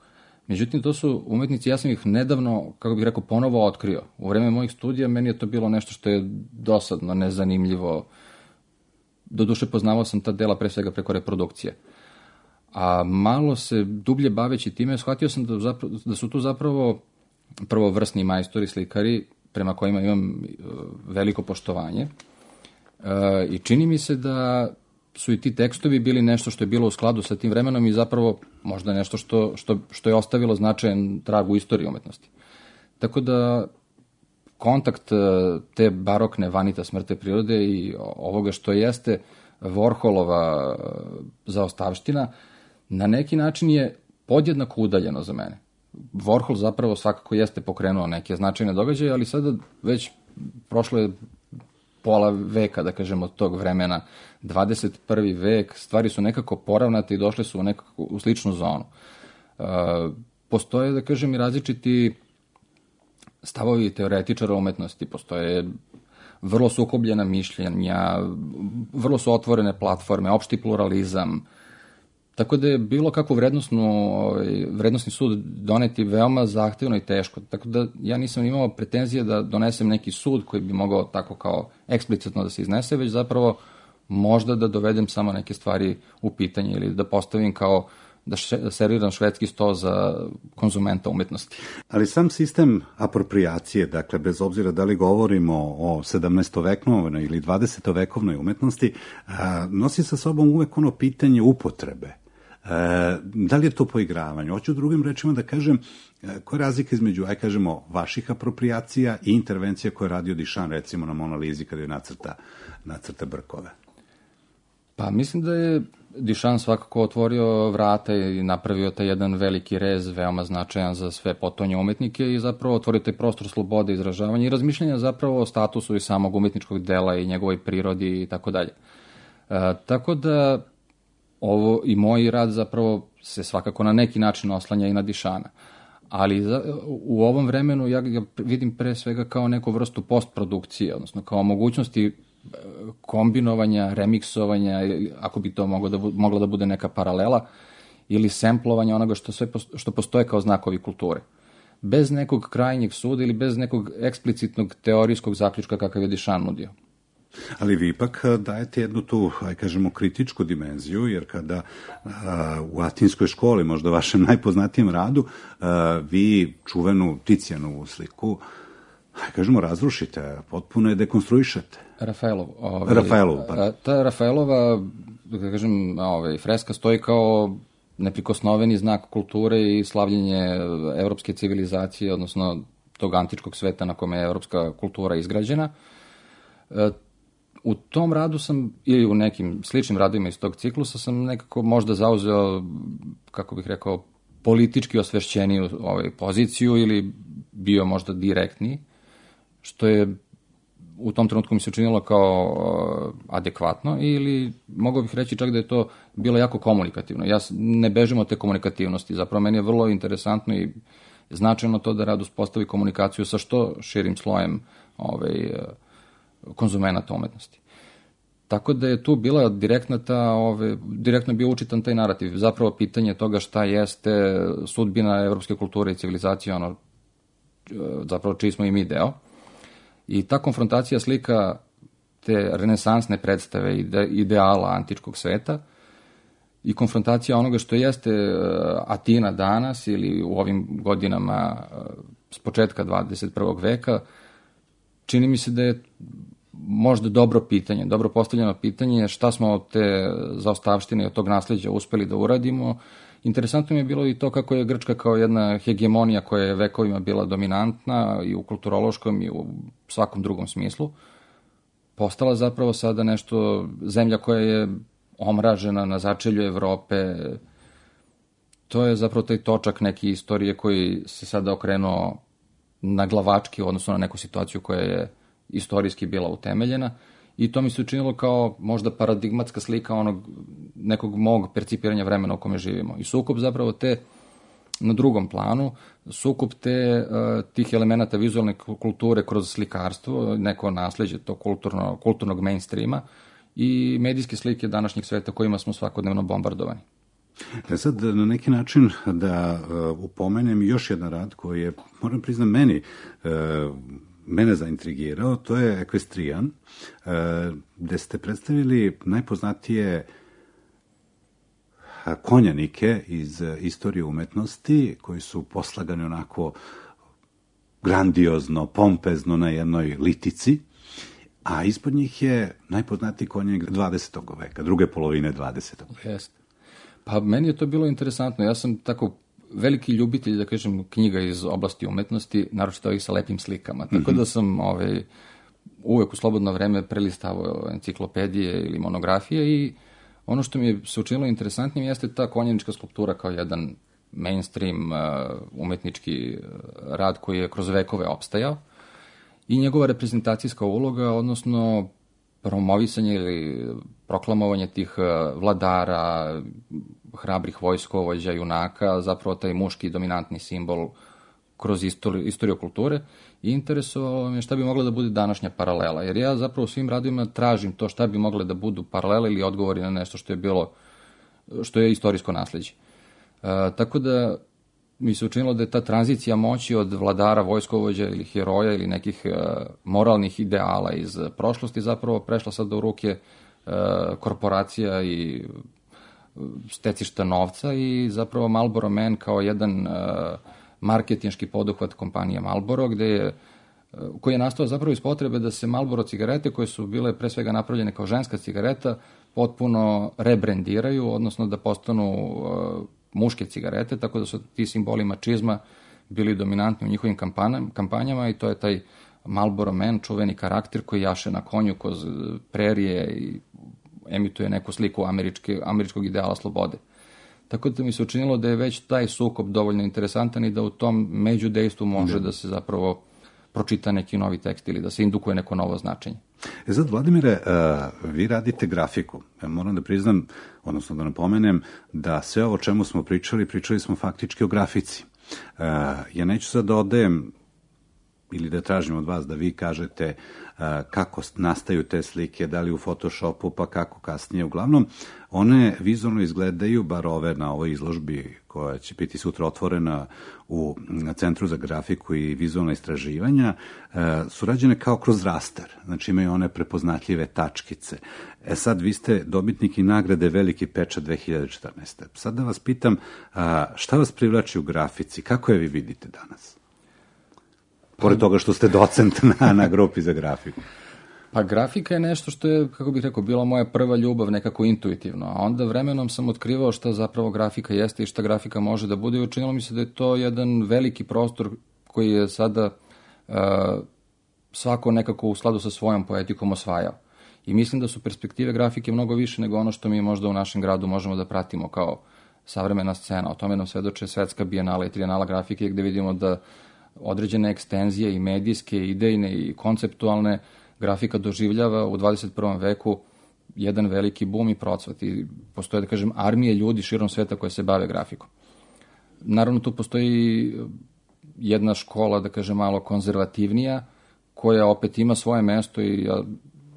Međutim, to su umetnici, ja sam ih nedavno, kako bih rekao, ponovo otkrio. U vreme mojih studija meni je to bilo nešto što je dosadno, nezanimljivo. Doduše, poznavao sam ta dela pre svega preko reprodukcije. A malo se dublje baveći time, shvatio sam da, zapravo, da su tu zapravo prvovrsni majstori, slikari, prema kojima imam veliko poštovanje. E, I čini mi se da su i ti tekstovi bili nešto što je bilo u skladu sa tim vremenom i zapravo možda nešto što, što, što je ostavilo značajan trag u istoriji umetnosti. Tako da kontakt te barokne vanitas mrtve prirode i ovoga što jeste Warholova zaostavština na neki način je podjednako udaljeno za mene. Warhol zapravo svakako jeste pokrenuo neke značajne događaje, ali sada već prošlo je pola veka, da kažemo, od tog vremena, dvadeset prvi vek, stvari su nekako poravnate i došle su u nekako u sličnu zonu. E, postoje, da kažem, i različiti stavovi teoretičara umetnosti, postoje vrlo sukobljena mišljenja, vrlo su otvorene platforme, opšti pluralizam, tako da je bilo kakvu vrednostnu, vrednostni sud doneti veoma zahtevno i teško. Tako da ja nisam imao pretenzije da donesem neki sud koji bi mogao tako kao eksplicitno da se iznese, već zapravo možda da dovedem samo neke stvari u pitanje ili da postavim kao da, še, da serviram švedski sto za konzumenta umetnosti. Ali sam sistem apropriacije, dakle, bez obzira da li govorimo o sedamnaestovekovnoj ili dvadesetovekovnoj umetnosti, a, nosi sa sobom uvek ono pitanje upotrebe. E, da li je to poigravanje? Hoću drugim rečima da kažem, koja je razlika između, aj kažemo, vaših apropriacija i intervencija koje je radio Duchamp, recimo na Mona Lisi kada je nacrta, nacrta brkove? Pa mislim da je Duchamp svakako otvorio vrata i napravio taj jedan veliki rez, veoma značajan za sve potonje umetnike i zapravo otvorio taj prostor slobode izražavanja i razmišljanja zapravo o statusu i samog umetničkog dela i njegovoj prirodi i tako dalje. Tako da ovo i moj rad zapravo se svakako na neki način oslanja i na Duchampa. Ali za, u ovom vremenu ja ga vidim pre svega kao neku vrstu postprodukcije, odnosno kao mogućnosti kombinovanja, remiksovanja, ako bi to moglo da, mogla da bude neka paralela, ili semplovanja onoga što, sve, što postoje kao znakovi kulture. Bez nekog krajnjeg suda ili bez nekog eksplicitnog teorijskog zaključka kakav je Duchamp nudio. Ali vi ipak dajete jednu tu, aj kažemo, kritičku dimenziju, jer kada a, u Atinskoj školi, možda vašem najpoznatijem radu, a, vi čuvenu Ticijanovu sliku, aj kažemo, razrušite, potpuno je dekonstruišete. Rafaelov. Ovaj, Rafaelov, pa. Ta Rafaelova, da kažem, ovaj, freska stoji kao neprikosnoveni znak kulture i slavljenje evropske civilizacije, odnosno tog antičkog sveta na kome je evropska kultura izgrađena. U tom radu sam, ili u nekim sličnim radovima iz tog ciklusa, sam nekako možda zauzeo, kako bih rekao, politički osvešćeniju ovaj, poziciju ili bio možda direktniji, što je u tom trenutku mi se učinilo kao uh, adekvatno ili mogao bih reći čak da je to bilo jako komunikativno. Ja ne bežim od te komunikativnosti, zapravo meni je vrlo interesantno i značajno to da rad uspostavi komunikaciju sa što širim slojem ovaj, konzumenata umetnosti. Tako da je tu bila direktna ta, ove, direktno bio učitan taj narativ. Zapravo pitanje toga šta jeste sudbina evropske kulture i civilizacije, ono, zapravo čiji smo i mi deo. I ta konfrontacija slika te renesansne predstave ide, ideala antičkog sveta i konfrontacija onoga što jeste Atina danas ili u ovim godinama s početka dvadeset prvog veka, čini mi se da je možda dobro pitanje, dobro postavljeno pitanje šta smo od te zaostavštine i od tog nasleđa uspeli da uradimo. Interesantno mi je bilo i to kako je Grčka kao jedna hegemonija koja je vekovima bila dominantna i u kulturološkom i u svakom drugom smislu, postala zapravo sada nešto, zemlja koja je omražena na začelju Evrope. To je zapravo taj točak neke istorije koji se sada okrenuo na glavački, odnosno na neku situaciju koja je istorijski bila utemeljena i to mi se učinilo kao možda paradigmatska slika onog nekog mog percipiranja vremena u kome živimo. I sukup zapravo te, na drugom planu, sukup te, uh, tih elemenata vizualne kulture kroz slikarstvo, neko nasleđe to kulturno, kulturnog mainstreama i medijske slike današnjeg sveta kojima smo svakodnevno bombardovani. E sad, na neki način da uh, upomenem još jedan rad koji je, moram priznam, meni uh, mene zaintrigirao, to je Equestrian, uh, gde ste predstavili najpoznatije konjanike iz istorije umetnosti, koji su poslagani onako grandiozno, pompezno na jednoj litici, a ispod njih je najpoznatiji konjanik dvadesetog veka, druge polovine dvadesetog veka. Jeste. Pa meni je to bilo interesantno. Ja sam tako veliki ljubitelj, da kažem, knjiga iz oblasti umetnosti, naročito ovih sa lepim slikama. Tako mm-hmm. da sam ovaj, uvek u slobodno vreme prelistavao enciklopedije ili monografije i ono što mi je se učinilo interesantnim jeste ta konjanička skulptura kao jedan mainstream uh, umetnički rad koji je kroz vekove opstajao i njegova reprezentacijska uloga, odnosno promovisanje ili proklamovanje tih vladara, hrabrih vojskovođa, junaka, zapravo taj muški dominantni simbol kroz istoriju, istoriju kulture i interesovalo me šta bi mogla da bude današnja paralela. Jer ja zapravo u svim radovima tražim to šta bi mogle da budu paralele ili odgovori na nešto što je bilo, što je istorijsko nasleđe. E, tako da mi se učinilo da je ta tranzicija moći od vladara, vojskovođa ili heroja ili nekih e, moralnih ideala iz prošlosti zapravo prešla sad u ruke e, korporacija i stecišta novca i zapravo Marlboro Man kao jedan e, marketinški poduhvat kompanije Marlboro, gde je, koji je nastao zapravo iz potrebe da se Marlboro cigarete, koje su bile pre svega napravljene kao ženska cigareta, potpuno rebrendiraju, odnosno da postanu uh, muške cigarete, tako da su ti simboli mačizma bili dominantni u njihovim kampanjama i to je taj Marlboro Man, čuveni karakter koji jaše na konju kroz prerije i emituje neku sliku američke, američkog ideala slobode. Tako da mi se učinilo da je već taj sukob dovoljno interesantan i da u tom međudejstvu može da, da se zapravo pročita neki novi tekst ili da se indukuje neko novo značenje. E sad, Vladimire, uh, vi radite grafiku. Ja moram da priznam, odnosno da napomenem, da sve ovo o čemu smo pričali, pričali smo faktički o grafici. Uh, ja neću sad da odajem ili da tražim od vas da vi kažete uh, kako nastaju te slike, da li u Photoshopu, pa kako kasnije. Uglavnom, one vizualno izgledaju, bar ove na ovoj izložbi koja će biti sutra otvorena u Centru za grafiku i vizualna istraživanja, uh, su rađene kao kroz raster. Znači imaju one prepoznatljive tačkice. E sad, vi ste dobitnik i nagrade Veliki pečat dve hiljade četrnaeste. Sad da vas pitam, uh, šta vas privlači u grafici? Kako je vi vidite danas? Pored toga što ste docent na, na grupi za grafiku. Pa grafika je nešto što je, kako bih rekao, bila moja prva ljubav nekako intuitivno, a onda vremenom sam otkrivao šta zapravo grafika jeste i šta grafika može da bude i učinilo mi se da je to jedan veliki prostor koji je sada uh, svako nekako u skladu sa svojom poetikom osvajao. I mislim da su perspektive grafike mnogo više nego ono što mi možda u našem gradu možemo da pratimo kao savremena scena. O tome nam svedoče Svetska bijenala i trijenala grafike gde vidimo da određene ekstenzije i medijske, i idejne i konceptualne grafika doživljava u dvadeset prvom veku jedan veliki bum i procvat i postoje, da kažem, armije ljudi širom sveta koje se bave grafikom. Naravno, tu postoji jedna škola, da kažem, malo konzervativnija, koja opet ima svoje mesto i ja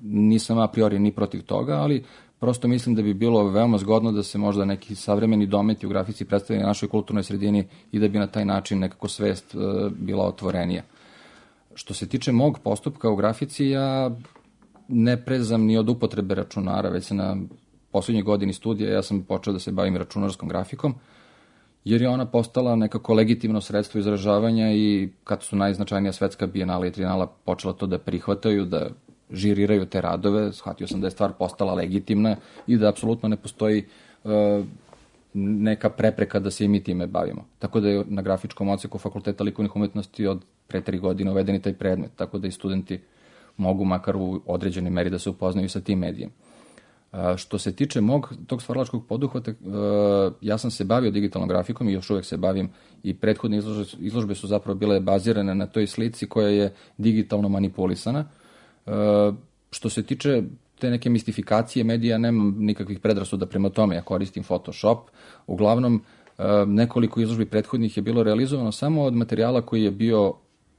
nisam a priori ni protiv toga, ali prosto mislim da bi bilo veoma zgodno da se možda neki savremeni dometi u grafici predstavljaju na našoj kulturnoj sredini i da bi na taj način nekako svest uh, bila otvorenija. Što se tiče mog postupka u grafici, ja ne prezam ni od upotrebe računara, već se na poslednjoj godini studija ja sam počeo da se bavim računarskom grafikom, jer je ona postala nekako legitimno sredstvo izražavanja i kad su najznačajnija Svetska bijenala i trijenala počela to da prihvataju, da žiriraju te radove, shvatio sam da je stvar postala legitimna i da apsolutno ne postoji uh, neka prepreka da se i mi time bavimo. Tako da je na grafičkom odseku Fakulteta likovnih umetnosti od pre tri godine uvedeni taj predmet, tako da i studenti mogu makar u određenoj meri da se upoznaju sa tim medijem. Uh, što se tiče mog tog stvaralačkog poduhvata, uh, ja sam se bavio digitalnom grafikom i još uvek se bavim i prethodne izložbe, izložbe su zapravo bile bazirane na toj slici koja je digitalno manipulisana. Što se tiče te neke mistifikacije medija, nemam nikakvih predrasuda prema tome, ja koristim Photoshop. Uglavnom, nekoliko izložbi prethodnih je bilo realizovano samo od materijala koji je bio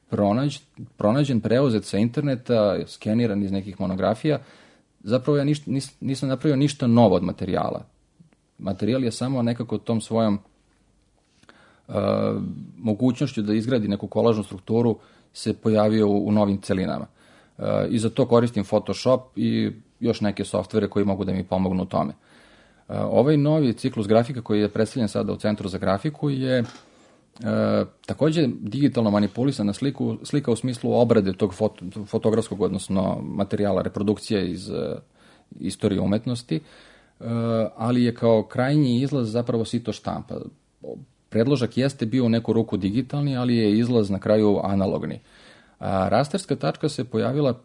pronađ, pronađen, preuzet sa interneta, skeniran iz nekih monografija. Zapravo ja ništa, nis, nisam napravio ništa novo od materijala. Materijal je samo nekako tom svojom uh, mogućnošću da izgradi neku kolažnu strukturu se pojavio u, u novim celinama. Uh, I za to koristim Photoshop i još neke softvere koji mogu da mi pomognu u tome. Uh, ovaj novi ciklus grafika koji je predstavljen sada u Centru za grafiku je E, takođe digitalno manipulisana sliku, slika u smislu obrade tog foto, fotografskog, odnosno materijala, reprodukcije iz e, istorije umetnosti, e, ali je kao krajnji izlaz zapravo sito štampa. Predložak jeste bio u neku ruku digitalni, ali je izlaz na kraju analogni. A rasterska tačka se pojavila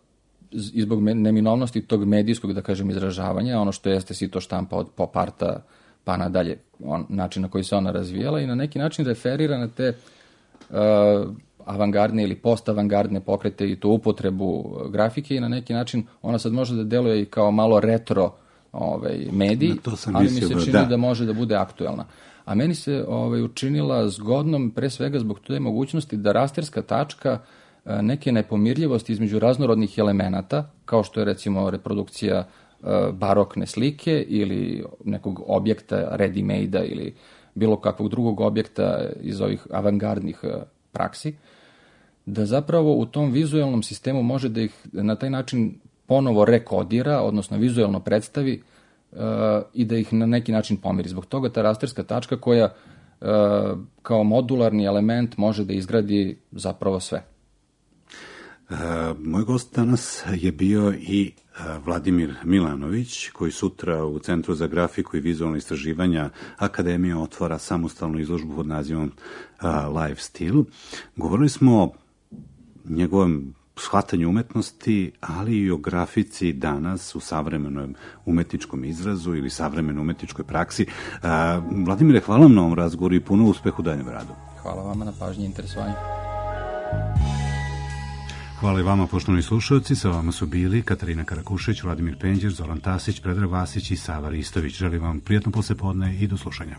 i zbog neminovnosti tog medijskog, da kažem, izražavanja, ono što jeste sito štampa od pop arta pa nadalje, on, način na koji se ona razvijala i na neki način referira na te uh, avangardne ili post-avangardne pokrete i tu upotrebu grafike i na neki način ona sad može da deluje i kao malo retro ovaj, medij, ali mi se čini da. da može da bude aktuelna. A meni se ovaj, učinila zgodnom pre svega zbog te mogućnosti da rasterska tačka uh, neke nepomirljivosti između raznorodnih elemenata, kao što je recimo reprodukcija barokne slike ili nekog objekta ready-made-a ili bilo kakvog drugog objekta iz ovih avangardnih praksi, da zapravo u tom vizuelnom sistemu može da ih na taj način ponovo rekodira, odnosno vizuelno predstavi uh, i da ih na neki način pomiri. Zbog toga ta rasterska tačka koja uh, kao modularni element može da izgradi zapravo sve. Uh, moj gost danas je bio i Vladimir Milanović, koji sutra u Centru za grafiku i vizualno istraživanja Akademije otvara samostalnu izložbu pod nazivom uh, Live Still. Govorili smo o njegovom shvatanju umetnosti, ali i o grafici danas u savremenom umetničkom izrazu ili savremenoj umetničkoj praksi. Uh, Vladimire, hvala vam na ovom razgovoru i puno uspehu u daljem radu. Hvala vama na pažnji i interesovanju. Hvala i vama, poštovani slušalci. Sa vama su bili Katarina Karakušeć, Vladimir Penđer, Zoran Tasić, Predrag Vasić i Sava Ristović. Želim vam prijatno poslepodne i do slušanja.